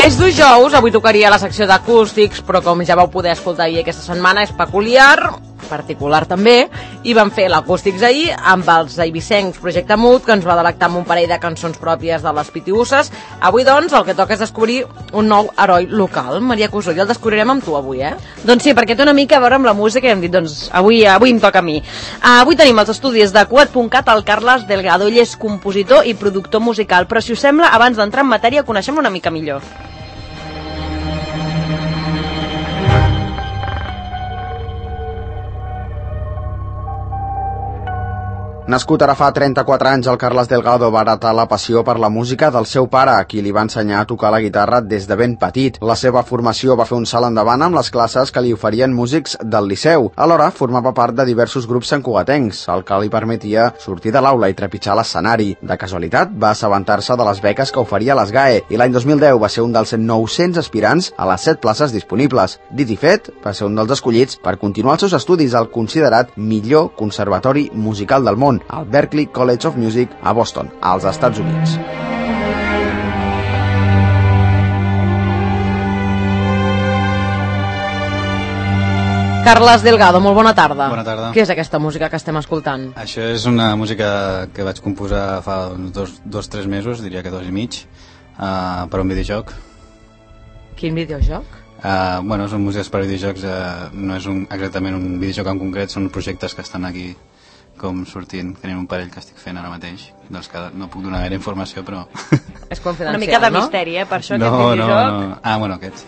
És dijous, avui tocaria la secció d'acústics, però com ja vau poder escoltar ahir aquesta setmana, és peculiar, particular també, i vam fer l'acústics ahir amb els eivissencs Projecte Mut, que ens va delectar amb un parell de cançons pròpies de les Pitiusses. Avui, doncs, el que toca és descobrir un nou heroi local. Maria Cusó, i el descobrirem amb tu avui, eh? Doncs sí, perquè té una mica a veure amb la música i hem dit, doncs, avui em toca a mi. Avui tenim els estudis de Cugat.cat el Carles Delgado. Ell és compositor i productor musical, però si us sembla, abans d'entrar en matèria, coneixem una mica millor. Nascut ara fa 34 anys, el Carles Delgado va heretar la passió per la música del seu pare, a qui li va ensenyar a tocar la guitarra des de ben petit. La seva formació va fer un salt endavant amb les classes que li oferien músics del Liceu. Alhora, formava part de diversos grups santcugatencs, el que li permetia sortir de l'aula i trepitjar l'escenari. De casualitat, va assabentar-se de les beques que oferia l'ESGAE i l'any 2010 va ser un dels 900 aspirants a les 7 places disponibles. Dit i fet, va ser un dels escollits per continuar els seus estudis al considerat millor conservatori musical del món, al Berklee College of Music a Boston, als Estats Units. Carles Delgado, molt bona tarda. Bona tarda. Què és aquesta música que estem escoltant? Això és una música que vaig composar fa uns 2-3 mesos, diria que 2 i mig, per un videojoc. Quin videojoc? Bueno, són músiques per videojocs, no és exactament un videojoc en concret, són projectes que estan aquí com sortint, tenim un parell que estic fent ara mateix, dels que no puc donar gaire informació, però... És confidencial, una mica de no? misteri, per això aquest videojoc... No. Bueno, aquest sí.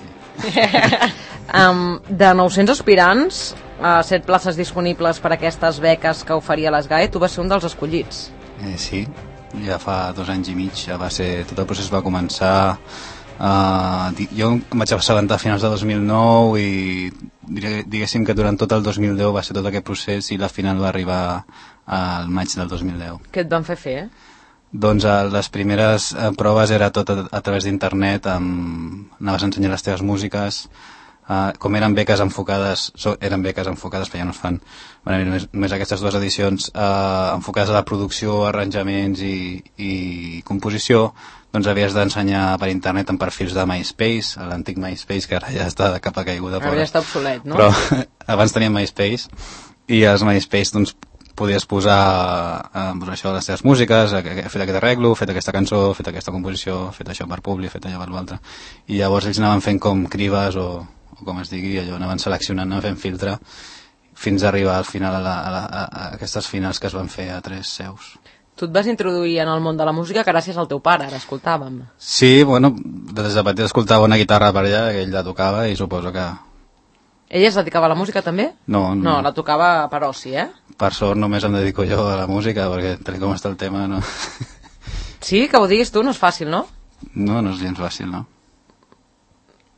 De 900 aspirants, 7 places disponibles per a aquestes beques que oferia l'ESGAE, tu vas ser un dels escollits. Sí, ja fa 2 anys i mig, ja va ser... Tot el procés va començar... jo em vaig assabentar a finals de 2009 i diguéssim que durant tot el 2010 va ser tot aquest procés i la final va arribar al maig del 2010. Què et van fer? Doncs les primeres proves era tot a través d'internet, anaves a ensenyar les teves músiques, com eren beques enfocades però ja no es fan, van haver només aquestes 2 edicions, enfocades a la producció, arranjaments i composició. Doncs havies d'ensenyar per internet en perfils de MySpace, l'antic MySpace, que ara ja està de capa caiguda. Ara ja està obsolet, no? Però abans teníem MySpace, i als MySpace doncs, podies posar això, les teves músiques, he fet aquest arreglo, he fet aquesta cançó, he fet aquesta composició, he fet això per Publi, he fet allò per l'altre. I llavors ells anaven fent com crives, o com es digui, allò, anaven seleccionant, anaven fent filtre, fins a arribar al final a aquestes finals que es van fer a 3 seus. Tu et vas introduir en el món de la música gràcies al teu pare, ara escoltàvem. Sí, bueno, des de petit escoltava una guitarra per allà, que ell la tocava i suposo que... Ella es dedicava a la música també? No. No, la tocava per oci, eh? Per sort només em dedico jo a la música, perquè tal com està el tema, no... Sí, que ho diguis tu, no és fàcil, no? No és gens fàcil, no.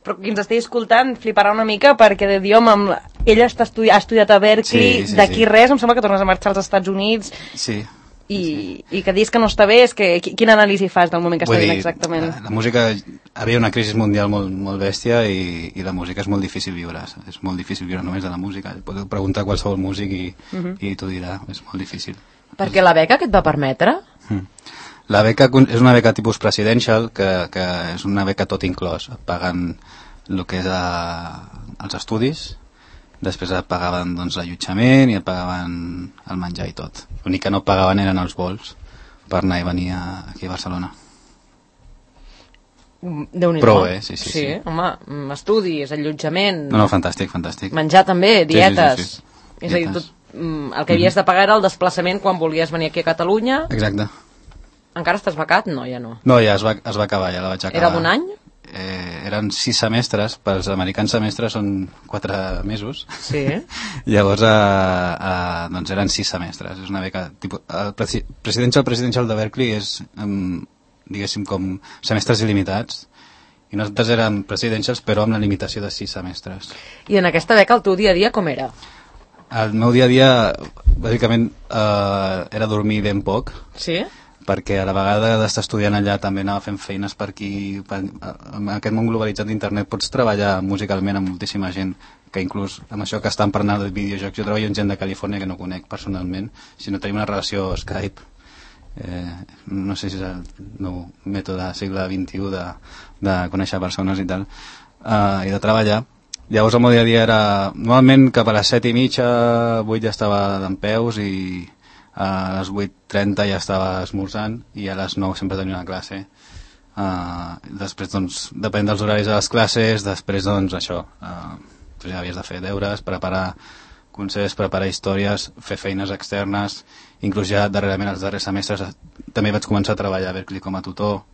Però qui ens estigui escoltant fliparà una mica perquè ella ha estudiat a Berklee, sí, d'aquí sí. Res, em sembla que tornes a marxar als Estats Units. Sí. I que dius que no està bé, és que quina anàlisi fas del moment que està dient exactament? La música, havia una crisi mundial molt bèstia i la música és molt difícil viure, és molt difícil viure només de la música, podeu preguntar a qualsevol músic i t'ho dirà, és molt difícil. Perquè la beca què et va permetre? La beca és una beca tipus presidential, que és una beca tot inclòs, et paguen el que és els estudis, després et pagaven l'allotjament i et pagaven el menjar i tot. L'únic que no pagaven eren els vols per anar i venir aquí a Barcelona. Déu-n'hi-do. Però bé, sí. Sí, home, estudis, allotjament... No, fantàstic. Menjar també, dietes... Sí. És a dir, el que havies de pagar era el desplaçament quan volies venir aquí a Catalunya. Exacte. Encara estàs becat? No, ja no. No, ja es va acabar, ja la vaig acabar. Era d'un any? Eren 6 semestres, pels americans semestres són 4 mesos. Sí. Llavors, doncs eren 6 semestres. És una beca... El presidential de Berklee és, diguéssim, com semestres il·limitats. I nosaltres érem presidentials, però amb la limitació de 6 semestres. I en aquesta beca el teu dia a dia com era? El meu dia a dia, bàsicament, era dormir ben poc. Sí? Perquè a la vegada d'estar estudiant allà també anava fent feines per aquí. En aquest món globalitzat d'internet pots treballar musicalment amb moltíssima gent, que inclús amb això que estan parlant de videojocs, jo treballo amb gent de Califòrnia que no conec personalment, sinó tenim una relació Skype, no sé si és el nou mètode del segle XXI de conèixer persones i tal, i de treballar. Llavors el meu dia a dia era, normalment cap a les 7:30, 8 ja estava dempeus i a les 8:30 ja estava esmorzant i a les 9 sempre tenia una classe. Després doncs depèn dels horaris de les classes, després doncs això, ja havies de fer deures, preparar concerts, preparar històries, fer feines externes, inclús ja darrerament els darrers semestres també vaig començar a treballar a Berklee com a tutor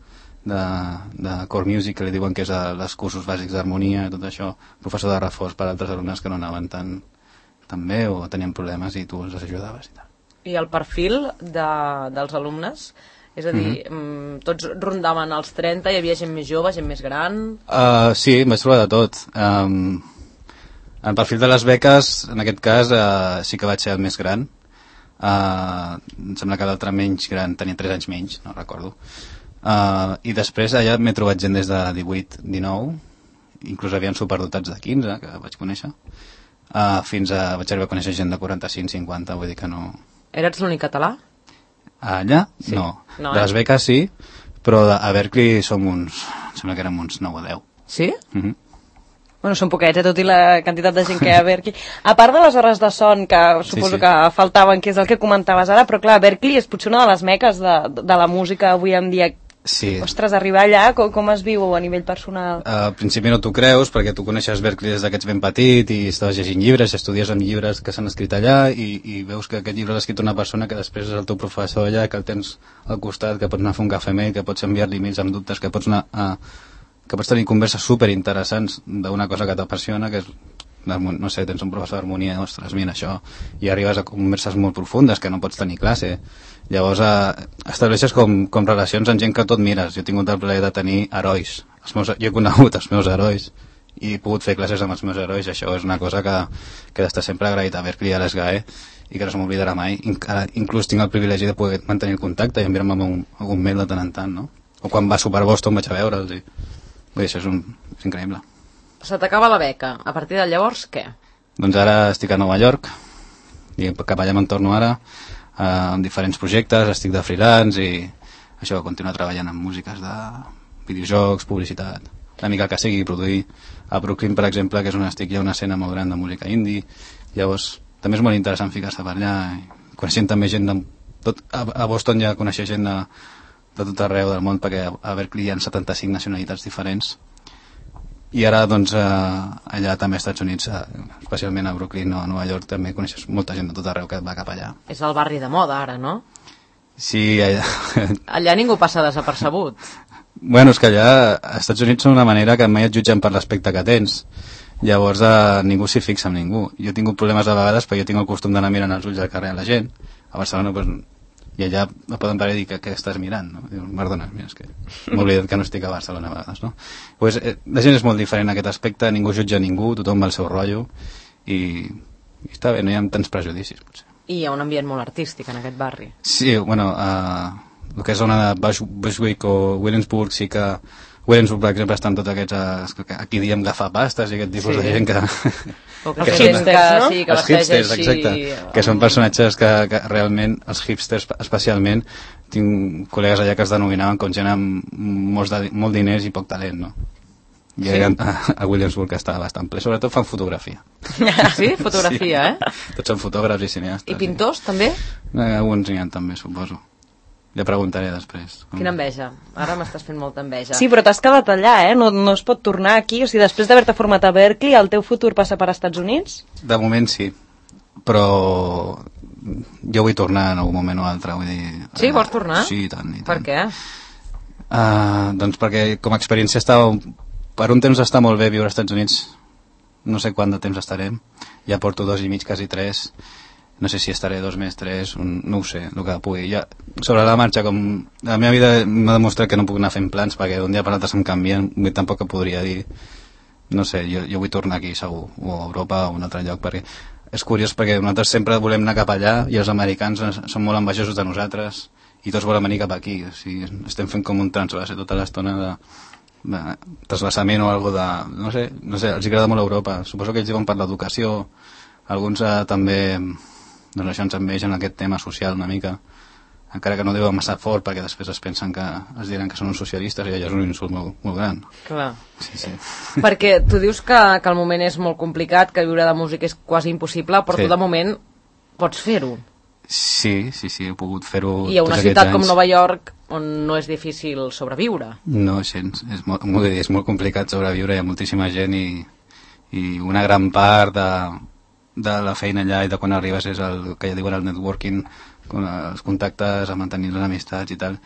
de core music, que li diuen que és els cursos bàsics d'harmonia, tot això, professor de reforç per a altres alumnes que no anaven tan bé o tenien problemes i tu els ajudaves i tal. I el perfil dels alumnes? És a dir, tots rondaven els 30, hi havia gent més jove, gent més gran? Sí, em vaig trobar de tot. En perfil de les beques, en aquest cas, sí que vaig ser el més gran. Em sembla que l'altre menys gran tenia 3 anys menys, no recordo. I després allà m'he trobat gent des de 18, 19, inclús havien superdotats de 15, que vaig conèixer, fins a vaig arribar a conèixer gent de 45, 50, vull dir que no... Eres l'únic català? Allà? Sí. No. De les beques sí, però a Berklee som uns... Em sembla que érem uns 9 o 10. Sí? Bueno, són poquets, tot i la quantitat de gent que hi ha a Berklee. A part de les hores de son, que suposo que faltaven, que és el que comentaves ara, però clar, Berklee és potser una de les meques de la música avui en dia. Sí. Ostres, arribar allà, com es viu a nivell personal? Al principi no t'ho creus, perquè tu coneixes Berklee des que ets ben petit i estaves llegint llibres, estudies amb llibres que s'han escrit allà i veus que aquest llibre l'ha escrit una persona que després és el teu professor allà, que el tens al costat, que pots anar a fer un cafè amb ell, que pots enviar-li emails amb dubtes, que pots anar que pots tenir converses superinteressants d'una cosa que t'apassiona, que és, no sé, tens un professor d'harmonia, ostres, mira això, i arribes a converses molt profundes que no pots tenir classe. Llavors estableixes com relacions amb gent que tot mires. Jo he tingut el plaer de tenir herois. Jo he conegut els meus herois i he pogut fer classes amb els meus herois. Això és una cosa que he d'estar sempre agraït a Berklee i a l'ESGAE i que no se m'oblidarà mai. Inclús tinc el privilegi de poder mantenir el contacte i enviar-me algun mail de tant en tant, no? O quan va a sopar a Boston vaig a veure'ls i... Vull dir, això és increïble. Se t'acaba la beca. A partir de llavors, què? Doncs ara estic a Nova York i cap allà me'n torno ara amb diferents projectes, estic de freelance i això, continuar treballant amb músiques de videojocs, publicitat, una mica el que sigui, produir. A Brooklyn, per exemple, que és on estic, hi ha una escena molt gran de música indie, llavors també és molt interessant ficar-se per allà i coneixent també gent a Boston ja coneixer gent de tot arreu del món, perquè a Berklee hi ha 75 nacionalitats diferents i ara doncs allà també als Estats Units, especialment a Brooklyn o a Nova York, també coneixes molta gent de tot arreu que va cap allà. És el barri de moda ara, no? Sí, allà... Allà ningú passa desapercebut. Bueno, és que allà als Estats Units són una manera que mai et jutgen per l'aspecte que tens. Llavors ningú s'hi fixa amb ningú. Jo he tingut problemes a vegades perquè jo tinc el costum d'anar mirant els ulls al carrer a la gent. A Barcelona doncs, i allà em poden parar i dir que estàs mirant, no? Dius, perdona, mira, és que m'he oblidat que no estic a Barcelona a vegades, no? Pues, la gent és molt diferent en aquest aspecte, ningú jutja ningú, tothom va al seu rotllo i està bé, no hi ha tants prejudicis, potser. I hi ha un ambient molt artístic en aquest barri. Sí, bueno, el que és zona de Bushwick o Williamsburg sí que... Williamsburg, per exemple, estan tots aquests... Aquí diem gafapastes i aquest tipus de gent que... O que els hipsters, no? Sí, que els hipsters, exacte. Que són personatges que realment, els hipsters especialment, tinc col·legues allà que es denominaven com gent amb molt diners i poc talent, no? I a Williamsburg està bastant ple. Sobretot fan fotografia. Sí? Fotografia, sí. Tots són fotògrafs i cineastes. I pintors, també? Alguns n'hi ha també, suposo. Ja preguntaré després. Quina enveja. Ara m'estàs fent molta enveja. Sí, però t'has quedat allà, eh? No es pot tornar aquí. O sigui, després d'haver-te format a Berklee, el teu futur passa per Estats Units? De moment sí. Però jo vull tornar en algun moment o altre. Vull dir, sí, vols tornar? Sí, i tant. Per què? Doncs perquè com a experiència per un temps està molt bé viure als Estats Units. No sé quant de temps estarem. Ja porto 2 i mig, quasi 3. No sé si estaré 2 més, 3, no ho sé, el que pugui. Ja, sobre la marxa, com la meva vida m'ha demostrat que no puc anar fent plans perquè d'un dia per l'altre se'm canvien, tampoc que podria dir, no sé, jo vull tornar aquí segur, o a Europa o a un altre lloc, perquè és curiós perquè nosaltres sempre volem anar cap allà i els americans són molt envejosos de nosaltres i tots volen venir cap aquí, o sigui, estem fent com un transvase tota l'estona de trasbassament o algo de, no sé, els agrada molt Europa, suposo que ells diuen per l'educació, alguns també... Doncs això ens envegen aquest tema social una mica. encara que no diuen massa fort perquè després es pensen que es diran que són uns socialistes i allò és un insult molt, molt gran. Clar. Sí. Perquè tu dius que el moment és molt complicat, que viure de música és quasi impossible, però tu de moment pots fer-ho. Sí, he pogut fer-ho I a una ciutat com Nova York on no és difícil sobreviure. No, gens. És molt complicat sobreviure, hi ha moltíssima gent i una gran part de la feina allà i de quan arribes és el que ja diuen el networking, els contactes, a mantenir les amistats i tal,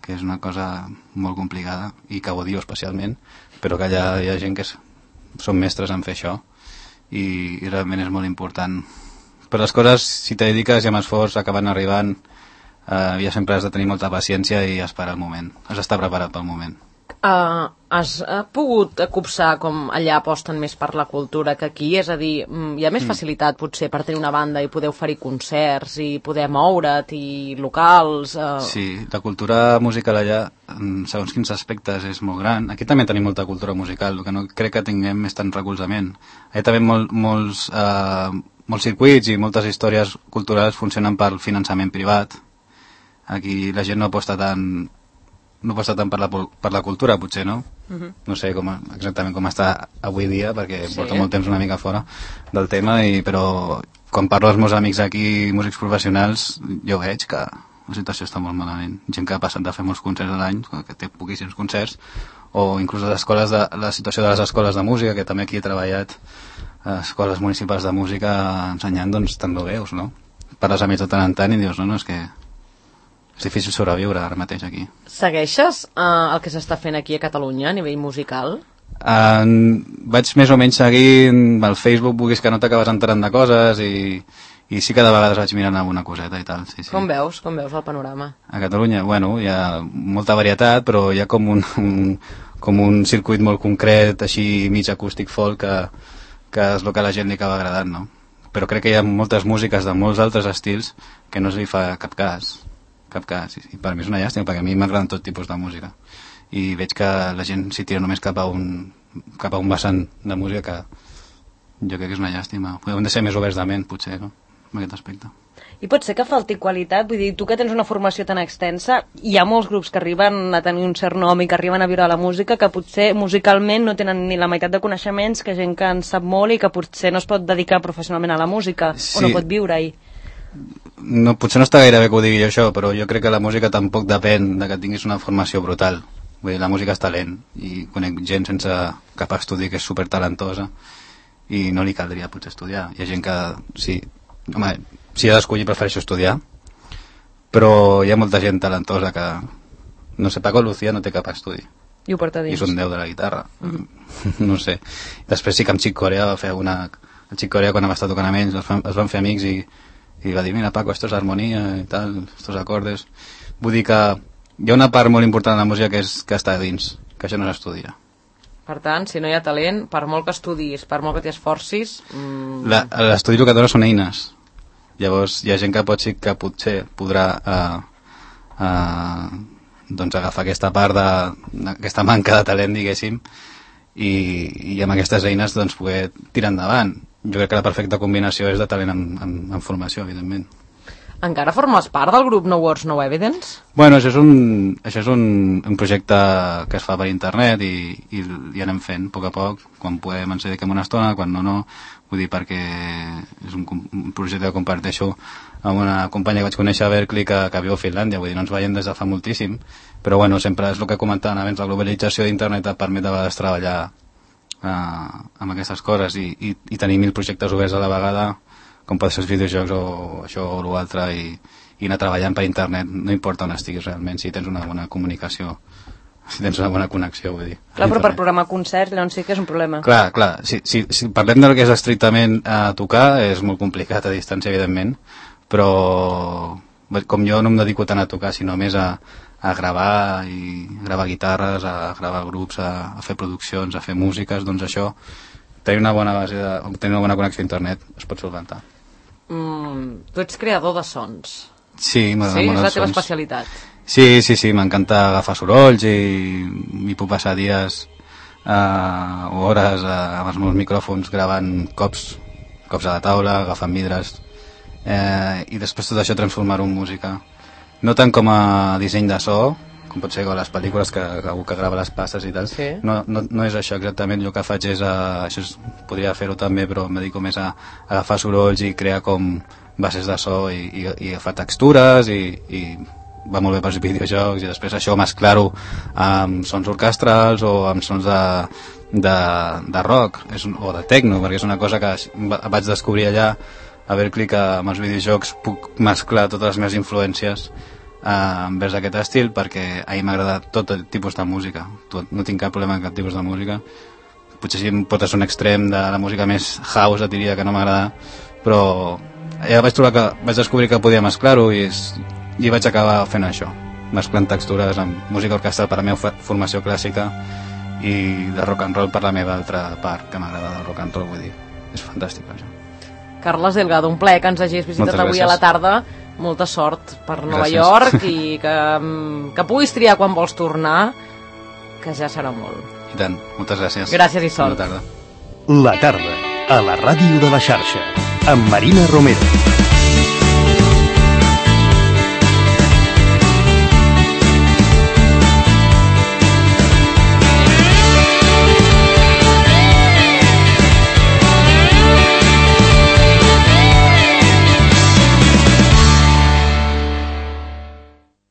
que és una cosa molt complicada i que ho odio especialment, però que allà hi ha gent que són mestres en fer això i realment és molt important. Però les coses, si te dediques i amb esforç acaben arribant, ja sempre has de tenir molta paciència i esperar el moment, has d'estar preparat pel moment. Has pogut copsar com allà aposten més per la cultura que aquí? És a dir, hi ha més facilitat potser per tenir una banda i poder oferir concerts i poder moure't i locals? Sí, la cultura musical allà, segons quins aspectes, és molt gran. Aquí també tenim molta cultura musical, el que no crec que tinguem és tant recolzament. Allà també molts circuits i moltes històries culturals funcionen pel finançament privat. Aquí la gent no aposta tant per la cultura, potser, no? No sé exactament com està avui dia, perquè porto molt temps una mica fora del tema, però quan parlo als meus amics aquí, músics professionals, jo veig que la situació està molt malament. Gent que ha passat de fer molts concerts a l'any, que té poquíssims concerts, o inclús la situació de les escoles de música, que també aquí he treballat, escoles municipals de música ensenyant, doncs també ho veus, no? Parles amb ells de tant en tant i dius, no, és que és difícil sobreviure ara mateix aquí. Segueixes el que s'està fent aquí a Catalunya a nivell musical? Vaig més o menys seguint el Facebook, vulguis que no t'acabes enterant de coses i sí que de vegades vaig mirant alguna coseta i tal. Sí. Com veus el panorama? A Catalunya, bueno, hi ha molta varietat, però hi ha com un circuit molt concret, així mig acústic folk, que és el que a la gent li acaba agradant, no? Però crec que hi ha moltes músiques de molts altres estils que no es li fa cap cas. I per mi és una llàstima, perquè a mi m'agraden tot tipus de música i veig que la gent s'hi tira només cap a un vessant de música que jo crec que és una llàstima. Hem de ser més oberts de ment, potser, no?, en aquest aspecte. I pot ser que falti qualitat? Vull dir, tu que tens una formació tan extensa, hi ha molts grups que arriben a tenir un cert nom i que arriben a viure a la música que potser musicalment no tenen ni la meitat de coneixements que gent que en sap molt i que potser no es pot dedicar professionalment a la música, o no pot viure-hi. No, potser no està gaire bé que ho digui jo això, però jo crec que la música tampoc depèn de que tinguis una formació brutal. Vull dir, la música és talent i conec gent sense cap estudi que és supertalentosa i no li caldria potser estudiar. Hi ha gent que si ha d'escollir prefereixo estudiar, però hi ha molta gent talentosa que, no sé, Paco Lucía no té cap estudi i ho porta dins. I és un déu de la guitarra. No sé. Després sí que amb Chick Corea va fer el Chick Corea, quan va estar tocant amb ells, es van fer amics i va dir, mira Paco, esto es armonía i tal, estos acordes. Vull dir que hi ha una part molt important de la música que està dins, que això no s'estudia. Per tant, si no hi ha talent, per molt que estudis, per molt que t'hi esforcis... L'estudi el que dona són eines. Llavors hi ha gent que potser podrà doncs agafar aquesta part d'aquesta manca de talent, diguéssim, i amb aquestes eines doncs poder tirar endavant. Jo crec que la perfecta combinació és de talent en formació, evidentment. Encara formes part del grup No Words, No Evidence? Bueno, això és un projecte que es fa per internet i anem fent a poc, quan podem ens dediquem una estona, quan no. Vull dir, perquè és un projecte que comparteixo amb una companya que vaig conèixer a Berkeley que viu a Finlàndia, vull dir, no ens veiem des de fa moltíssim, però bueno, sempre és el que comentàvem abans, la globalització d'internet et permet a vegades treballar amb aquestes coses i tenir 1000 projectes oberts a la vegada, com poden ser els videojocs o això o l'altre, i anar treballant per internet, no importa on estiguis realment, si tens una bona comunicació, si tens una bona connexió, vull dir. Clar, però per programar concerts, llavors sí que és un problema. Clar, si parlem del que és estrictament a tocar, és molt complicat a distància, evidentment, però com jo no em dedico tant a tocar, sinó més a gravar guitarres, a gravar grups, a fer produccions, a fer músiques, doncs això, tenir una bona base, tenir una bona connexió a internet es pot solventar. Tu ets creador de sons. Sí, m'agrada molt els sons. Sí, és la teva especialitat. Sí, m'encanta agafar sorolls i m'hi puc passar dies o hores amb els meus micròfons gravant cops a la taula, agafant vidres, i després tot això transformar-ho en música. no tant com a disseny de so, com pot ser com les pel·lícules que algú que grava les passes i tal, Sí. no és això exactament. El que faig és, podria fer-ho també, però em dedico més a agafar sorolls i crear com bases de so i agafar textures i va molt bé pels videojocs, i després això mesclar-ho amb sons orquestrals o amb sons de rock o de techno, perquè és una cosa que vaig descobrir allà a Berkeley, que amb els videojocs puc mesclar totes les meves influències envers aquest estil, perquè a mi m'agrada tot el tipus de música, no tinc cap problema amb cap tipus de música. Potser si em portes un extrem de la música més house et diria que no m'agrada, però ja vaig descobrir que podia mesclar-ho i vaig acabar fent això, mesclant textures amb música orquestral per la meva formació clàssica i de rock and roll per la meva altra part, que m'agrada del rock and roll, vull dir, és fantàstic això. Carles Delgado, un plaer que ens hagis visitat avui a la tarda. Molta sort per Nova York i que puguis triar quan vols tornar, que ja serà molt. I tant, moltes gràcies. Gràcies i sort. Bona tarda. La tarda, a la ràdio de la xarxa, amb Marina Romero.